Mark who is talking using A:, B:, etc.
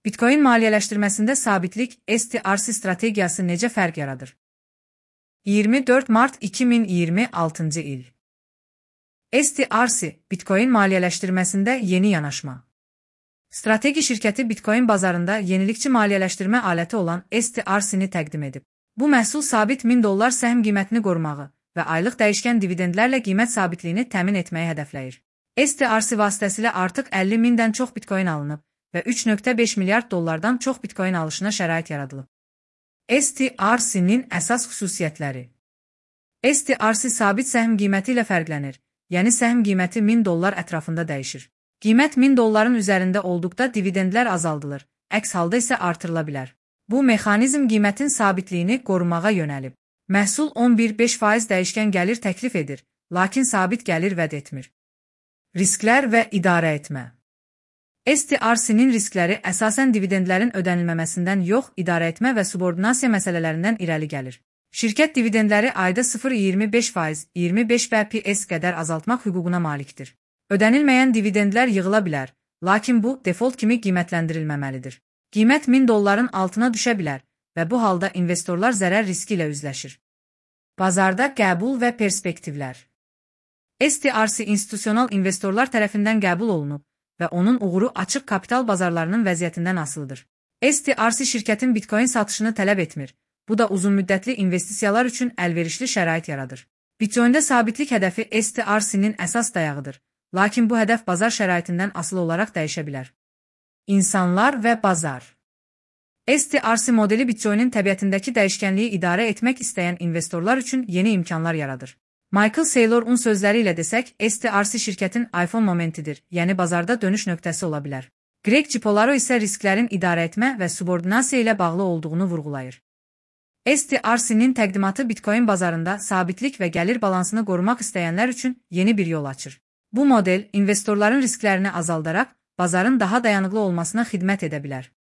A: Bitcoin maliyyələşdirməsində sabitlik STRC strategiyası necə fərq yaradır? 24 mart 2026 il. STRC, Bitcoin maliyyələşdirməsində yeni yanaşma. Strateji şirkəti Bitcoin bazarında yenilikçi maliyyələşdirmə aləti olan STRC-ni təqdim edib. Bu məhsul sabit $1000 səhm qiymətini qorumağı və aylıq dəyişkən dividendlərlə qiymət sabitliyini təmin etməyi hədəfləyir. STRC vasitəsilə artıq 50.000-dən çox Bitcoin alınıb və $3.5 milyard çox Bitcoin alışına şərait yaradılıb. STRC-nin əsas xüsusiyyətləri. STRC sabit səhm qiyməti ilə fərqlənir, yəni səhm qiyməti $1000 ətrafında dəyişir. Qiymət $1000-ın üzərində olduqda dividendlər azaldılır, əks halda isə artırıla bilər. Bu mexanizm qiymətin sabitliyini qorumağa yönəlib. Məhsul 11,5% dəyişkən gəlir təklif edir, lakin sabit gəlir vəd etmir. Risklər və idarə etmə. STRC-nin riskləri əsasən dividendlərin ödənilməməsindən yox, idarə etmə və subordinasiya məsələlərindən irəli gəlir. Şirkət dividendləri ayda 0,25%, 25 bps qədər azaltmaq hüququna malikdir. Ödənilməyən dividendlər yığıla bilər, lakin bu, default kimi qiymətləndirilməməlidir. Qiymət $1000-ın altına düşə bilər və bu halda investorlar zərər riski ilə üzləşir. Bazarda qəbul və perspektivlər. STRC institusional investorlar tərəfindən qəbul olunub və onun uğuru açıq kapital bazarlarının vəziyyətindən asılıdır. STRC şirkətin Bitcoin satışını tələb etmir, bu da uzunmüddətli investisiyalar üçün əlverişli şərait yaradır. Bitcoin-də sabitlik hədəfi STRC-nin əsas dayağıdır, lakin bu hədəf bazar şəraitindən asılı olaraq dəyişə bilər. İnsanlar və bazar. STRC modeli Bitcoin-in təbiətindəki dəyişkənliyi idarə etmək istəyən investorlar üçün yeni imkanlar yaradır. Michael Saylor'un sözləri ilə desək, STRC şirkətin iPhone momentidir, yəni bazarda dönüş nöqtəsi ola bilər. Greg Cipolaro isə risklərin idarə etmə və subordinasiya ilə bağlı olduğunu vurğulayır. STRC-nin təqdimatı Bitcoin bazarında sabitlik və gəlir balansını qorumaq istəyənlər üçün yeni bir yol açır. Bu model investorların risklərini azaldaraq bazarın daha dayanıqlı olmasına xidmət edə bilər.